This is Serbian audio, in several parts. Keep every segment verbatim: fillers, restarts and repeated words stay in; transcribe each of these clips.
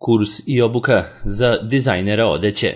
Kurs i obuka za dizajnera odeće.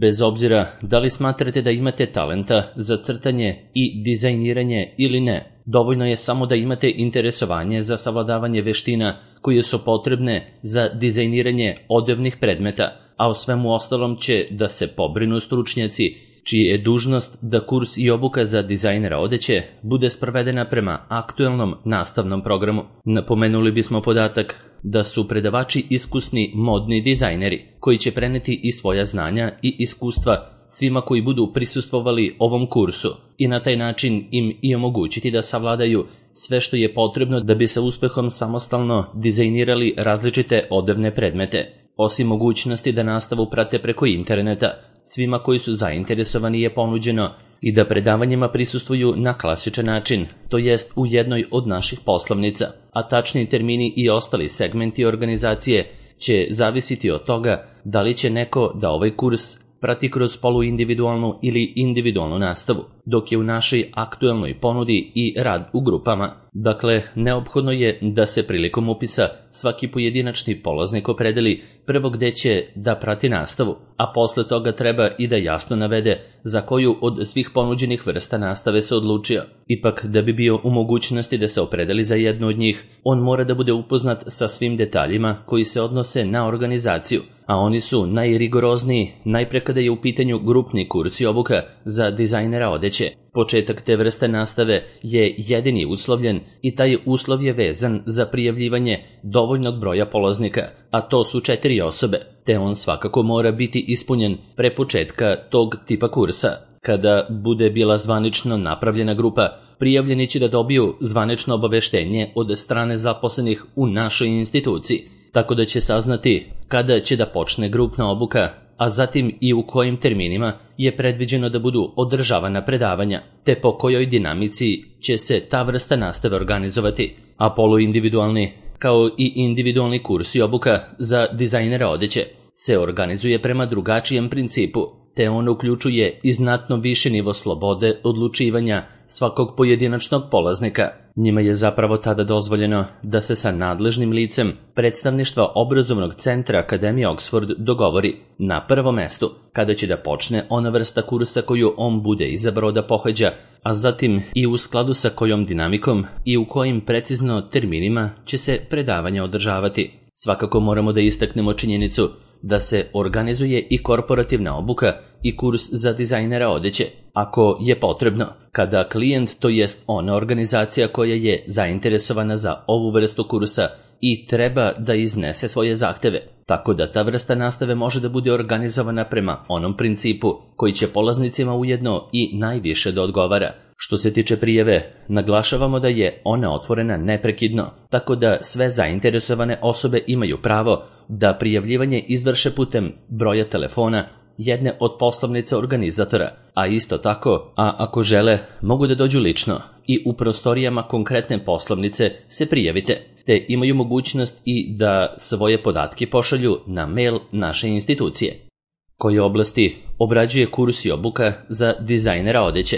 Bez obzira da li smatrate da imate talenta za crtanje i dizajniranje ili ne, dovoljno je samo da imate interesovanje za savladavanje veština koje su potrebne za dizajniranje odevnih predmeta, a o svemu ostalom će da se pobrinu stručnjaci, čiji je dužnost da kurs i obuka za dizajnera odeće bude sprovedena prema aktuelnom nastavnom programu. Napomenuli bismo podatak da su predavači iskusni modni dizajneri koji će preneti i svoja znanja i iskustva svima koji budu prisustvovali ovom kursu i na taj način im i omogućiti da savladaju sve što je potrebno da bi sa uspehom samostalno dizajnirali različite odevne predmete. Osim mogućnosti da nastavu prate preko interneta, svima koji su zainteresovani je ponuđeno i da predavanjima prisustvuju na klasičan način, to jest u jednoj od naših poslovnica, a tačni termini i ostali segmenti organizacije će zavisiti od toga da li će neko da ovaj kurs prati kroz poluindividualnu ili individualnu nastavu, dok je u našoj aktuelnoj ponudi i rad u grupama. Dakle, neophodno je da se prilikom upisa svaki pojedinačni polaznik opredeli prvo gde će da prati nastavu, a posle toga treba i da jasno navede za koju od svih ponuđenih vrsta nastave se odlučio. Ipak, da bi bio u mogućnosti da se opredeli za jednu od njih, on mora da bude upoznat sa svim detaljima koji se odnose na organizaciju, a oni su najrigorozniji najpre kada je u pitanju grupni kurs i obuka za dizajnera odeće. Početak te vrste nastave je jedini uslovljen i taj uslov je vezan za prijavljivanje dovoljnog broja polaznika, a to su četiri osobe, te on svakako mora biti ispunjen pre početka tog tipa kursa. Kada bude bila zvanično napravljena grupa, prijavljeni će da dobiju zvanično obaveštenje od strane zaposlenih u našoj instituciji, tako da će saznati kada će da počne grupna obuka, a zatim i u kojim terminima je predviđeno da budu održavana predavanja, te po kojoj dinamici će se ta vrsta nastave organizovati, a poluindividualni, kao i individualni kurs i obuka za dizajnera odeće se organizuje prema drugačijem principu, te on uključuje i znatno više nivo slobode odlučivanja svakog pojedinačnog polaznika. Njima je zapravo tada dozvoljeno da se sa nadležnim licem predstavništva obrazovnog centra Akademije Oxford dogovori na prvom mestu kada će da počne ona vrsta kursa koju on bude izabrao da pohađa, a zatim i u skladu sa kojom dinamikom i u kojim precizno terminima će se predavanja održavati. Svakako moramo da istaknemo činjenicu da se organizuje i korporativna obuka i kurs za dizajnera odeće, ako je potrebno, kada klijent, to jest ona organizacija koja je zainteresovana za ovu vrstu kursa i treba da iznese svoje zahteve, tako da ta vrsta nastave može da bude organizovana prema onom principu koji će polaznicima ujedno i najviše da odgovara. Što se tiče prijave, naglašavamo da je ona otvorena neprekidno, tako da sve zainteresovane osobe imaju pravo da prijavljivanje izvrše putem broja telefona jedne od poslovnica organizatora, a isto tako, a ako žele, mogu da dođu lično i u prostorijama konkretne poslovnice se prijavite, te imaju mogućnost i da svoje podatke pošalju na mail naše institucije. Koje oblasti obrađuje kurs i obuka za dizajnera odeće?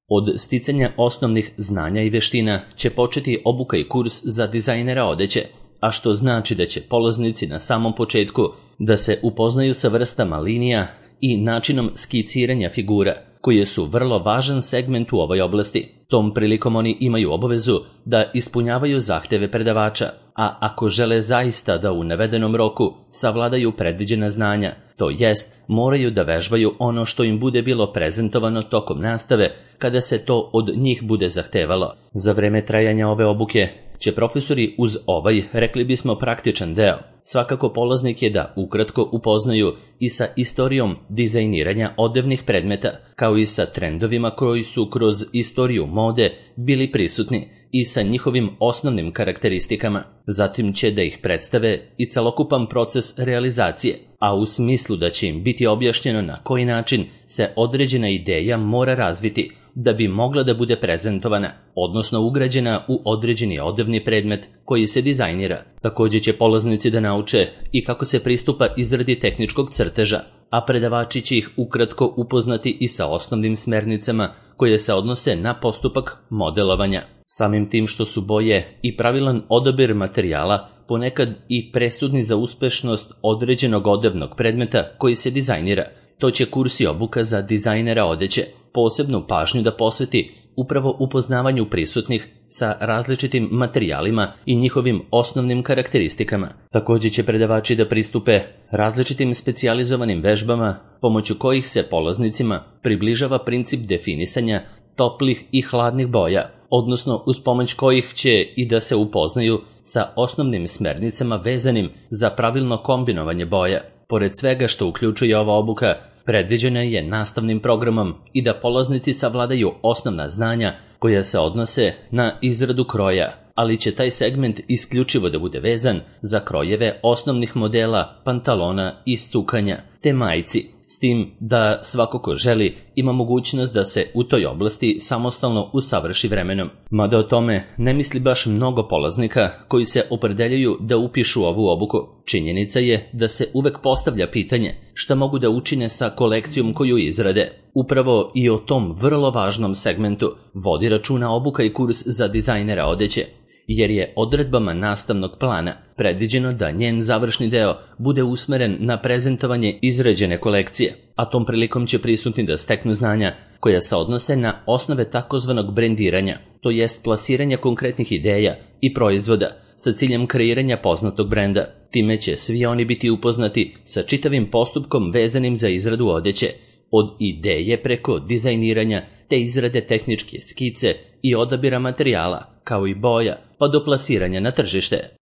Od sticanja osnovnih znanja i veština će početi obuka i kurs za dizajnera odeće, a što znači da će polaznici na samom početku da se upoznaju sa vrstama linija i načinom skiciranja figura, koje su vrlo važan segment u ovoj oblasti. Tom prilikom oni imaju obavezu da ispunjavaju zahteve predavača, a ako žele zaista da u navedenom roku savladaju predviđena znanja, to jest moraju da vežbaju ono što im bude bilo prezentovano tokom nastave kada se to od njih bude zahtevalo. Za vreme trajanja ove obuke će profesori uz ovaj, rekli bismo, praktičan deo, svakako polaznike da ukratko upoznaju i sa istorijom dizajniranja odevnih predmeta, kao i sa trendovima koji su kroz istoriju mode bili prisutni i sa njihovim osnovnim karakteristikama. Zatim će da ih predstave i celokupan proces realizacije, a u smislu da će im biti objašnjeno na koji način se određena ideja mora razviti da bi mogla da bude prezentovana, odnosno ugrađena u određeni odevni predmet koji se dizajnira. Također će polaznici da nauče i kako se pristupa izradi tehničkog crteža, a predavači će ih ukratko upoznati i sa osnovnim smernicama koje se odnose na postupak modelovanja. Samim tim što su boje i pravilan odabir materijala ponekad i presudni za uspešnost određenog odevnog predmeta koji se dizajnira. To će kurs i obuka za dizajnera odeće posebnu pažnju da posveti upravo upoznavanju prisutnih sa različitim materijalima i njihovim osnovnim karakteristikama. Također će predavači da pristupe različitim specijalizovanim vežbama pomoću kojih se polaznicima približava princip definisanja toplih i hladnih boja, odnosno uz pomoć kojih će i da se upoznaju sa osnovnim smernicama vezanim za pravilno kombinovanje boja. Pored svega što uključuje ova obuka, predviđena je nastavnim programom i da polaznici savladaju osnovna znanja koja se odnose na izradu kroja, ali će taj segment isključivo da bude vezan za krojeve osnovnih modela pantalona i sukanja te majici, s tim da svako ko želi ima mogućnost da se u toj oblasti samostalno usavrši vremenom. Mada o tome ne misli baš mnogo polaznika koji se opredeljuju da upišu ovu obuku. Činjenica je da se uvek postavlja pitanje šta mogu da učine sa kolekcijom koju izrade. Upravo i o tom vrlo važnom segmentu vodi računa obuka i kurs za dizajnera odeće, jer je odredbama nastavnog plana predviđeno da njen završni deo bude usmeren na prezentovanje izrađene kolekcije, a tom prilikom će prisutni da steknu znanja koja se odnose na osnove takozvanog brendiranja, to jest plasiranja konkretnih ideja i proizvoda sa ciljem kreiranja poznatog brenda. Time će svi oni biti upoznati sa čitavim postupkom vezanim za izradu odeće, od ideje preko dizajniranja te izrade tehničke skice i odabira materijala, kao i boja, pa do plasiranja na tržište.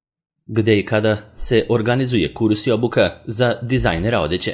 Gde i kada se organizuje kurs i obuka za dizajnera odeće?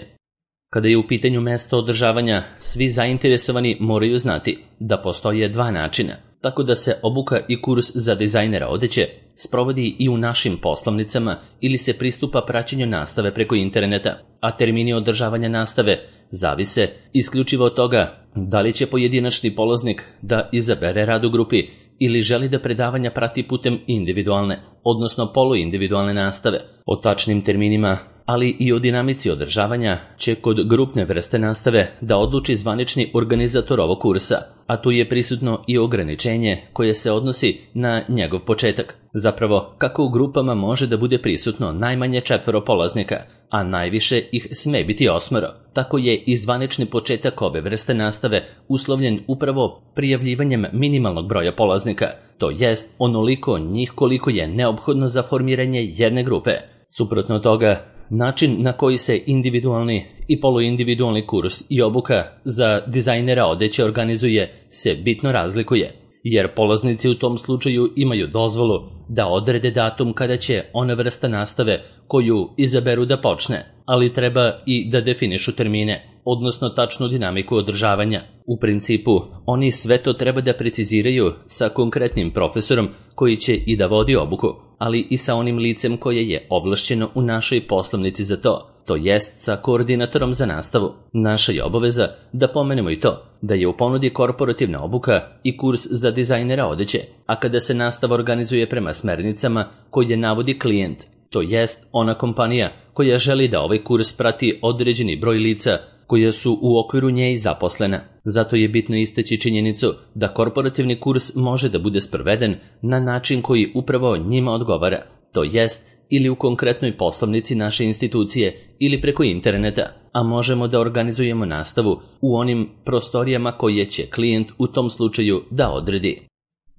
Kada je u pitanju mesto održavanja, svi zainteresovani moraju znati da postoje dva načina, tako da se obuka i kurs za dizajnera odeće sprovodi i u našim poslovnicama ili se pristupa praćenju nastave preko interneta, a termini održavanja nastave zavise isključivo od toga da li će pojedinačni polaznik da izabere rad u grupi ili želi da predavanja prati putem individualne, odnosno poluindividualne nastave. O tačnim terminima, ali i o dinamici održavanja će kod grupne vrste nastave da odluči zvanični organizator ovog kursa, a tu je prisutno i ograničenje koje se odnosi na njegov početak. Zapravo, kako u grupama može da bude prisutno najmanje četvoro polaznika, a najviše ih sme biti osmoro, tako je i zvanični početak ove vrste nastave uslovljen upravo prijavljivanjem minimalnog broja polaznika, to jest onoliko njih koliko je neophodno za formiranje jedne grupe. Suprotno toga, način na koji se individualni i poluindividualni kurs i obuka za dizajnera odeće organizuje se bitno razlikuje, jer polaznici u tom slučaju imaju dozvolu da odrede datum kada će ona vrsta nastave koju izaberu da počne, ali treba i da definišu termine, odnosno tačnu dinamiku održavanja. U principu, oni sve to treba da preciziraju sa konkretnim profesorom koji će i da vodi obuku, ali i sa onim licem koje je ovlašćeno u našoj poslovnici za to, to jest sa koordinatorom za nastavu. Naša je obaveza da pomenemo i to, da je u ponudi korporativna obuka i kurs za dizajnera odeće, a kada se nastava organizuje prema smernicama koje navodi klijent, to jest ona kompanija koja želi da ovaj kurs prati određeni broj lica koja su u okviru nje i zaposlena. Zato je bitno istaći činjenicu da korporativni kurs može da bude sproveden na način koji upravo njima odgovara, to jest ili u konkretnoj poslovnici naše institucije ili preko interneta, a možemo da organizujemo nastavu u onim prostorijama koje će klijent u tom slučaju da odredi.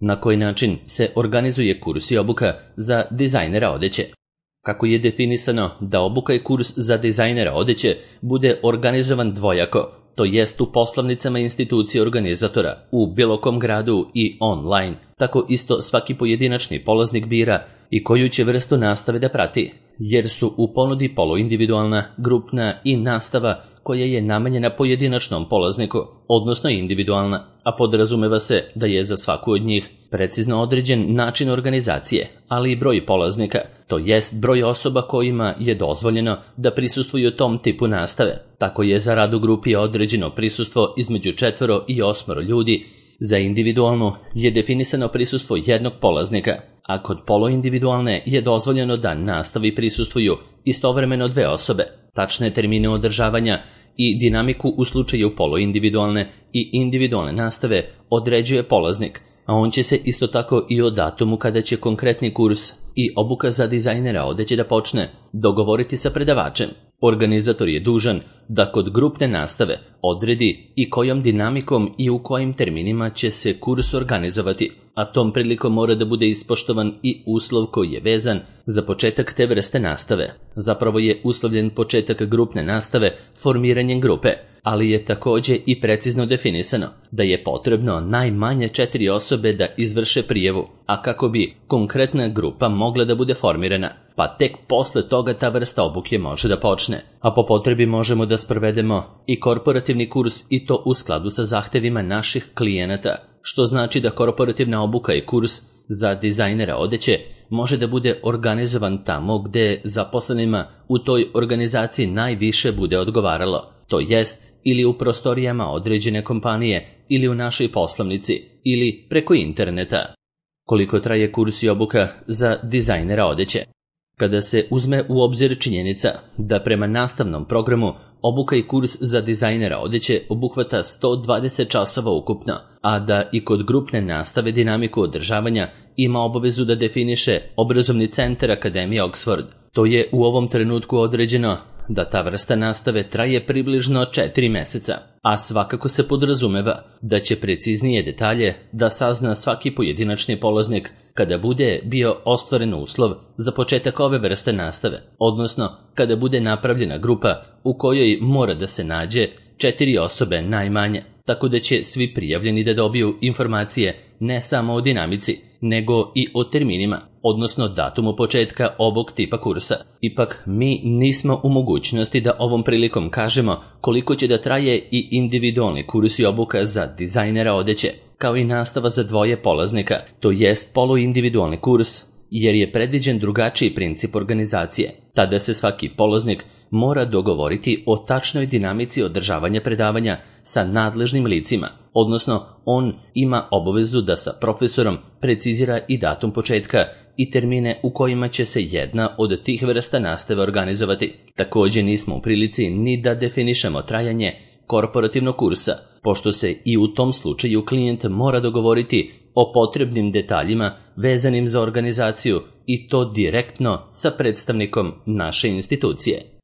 Na koji način se organizuje kurs i obuka za dizajnera odeće? Kako je definisano da obuka i kurs za dizajnera odeće bude organizovan dvojako, to jest u poslovnicama institucije organizatora, u bilo kom gradu i online, tako isto svaki pojedinačni polaznik bira i koju će vrstu nastave da prati, jer su u ponudi poluindividualna, grupna i nastava koja je namenjena pojedinačnom polazniku, odnosno individualna, a podrazumeva se da je za svaku od njih precizno određen način organizacije, ali i broj polaznika, to jest broj osoba kojima je dozvoljeno da prisustvuju tom tipu nastave. Tako je za rad u grupi određeno prisustvo između četvoro i osmoro ljudi, za individualnu je definisano prisustvo jednog polaznika, a kod poluindividualne je dozvoljeno da nastavi prisustvuju istovremeno dve osobe. Tačne termine održavanja i dinamiku u slučaju poluindividualne i individualne nastave određuje polaznik, a on će se isto tako i o datumu kada će konkretni kurs i obuka za dizajnera odeće da počne dogovoriti sa predavačem. Organizator je dužan da kod grupne nastave odredi i kojom dinamikom i u kojim terminima će se kurs organizovati, a tom prilikom mora da bude ispoštovan i uslov koji je vezan za početak te vrste nastave. Zapravo je uslovljen početak grupne nastave formiranjem grupe, ali je također i precizno definisano da je potrebno najmanje četiri osobe da izvrše prijavu, a kako bi konkretna grupa mogla da bude formirana, pa tek posle toga ta vrsta obuke može da počne. A po potrebi možemo da sprovedemo i korporativni kurs i to u skladu sa zahtevima naših klijenata, što znači da korporativna obuka i kurs za dizajnera odeće može da bude organizovan tamo gde zaposlenima u toj organizaciji najviše bude odgovaralo, to jest ili u prostorijama određene kompanije ili u našoj poslovnici ili preko interneta. Koliko traje kurs i obuka za dizajnera odeće? Kada se uzme u obzir činjenica da prema nastavnom programu obuka i kurs za dizajnera odeće obuhvata sto dvadeset časova ukupno, a da i kod grupne nastave dinamiku održavanja ima obavezu da definiše obrazovni centar Akademije Oxford, to je u ovom trenutku određeno da ta vrsta nastave traje približno četiri meseca, a svakako se podrazumeva da će preciznije detalje da sazna svaki pojedinačni polaznik kada bude bio ostvaren uslov za početak ove vrste nastave, odnosno kada bude napravljena grupa u kojoj mora da se nađe četiri osobe najmanje, tako da će svi prijavljeni da dobiju informacije ne samo o dinamici, nego i o terminima, odnosno datumu početka ovog tipa kursa. Ipak, mi nismo u mogućnosti da ovom prilikom kažemo koliko će da traje i individualni kurs i obuka za dizajnera odeće, kao i nastava za dvoje polaznika, to jest poluindividualni kurs, jer je predviđen drugačiji princip organizacije. Tada se svaki polaznik mora dogovoriti o tačnoj dinamici održavanja predavanja sa nadležnim licima, odnosno on ima obavezu da sa profesorom precizira i datum početka i termine u kojima će se jedna od tih vrsta nastave organizovati. Također nismo u prilici ni da definišemo trajanje korporativnog kursa, pošto se i u tom slučaju klijent mora dogovoriti o potrebnim detaljima vezanim za organizaciju i to direktno sa predstavnikom naše institucije.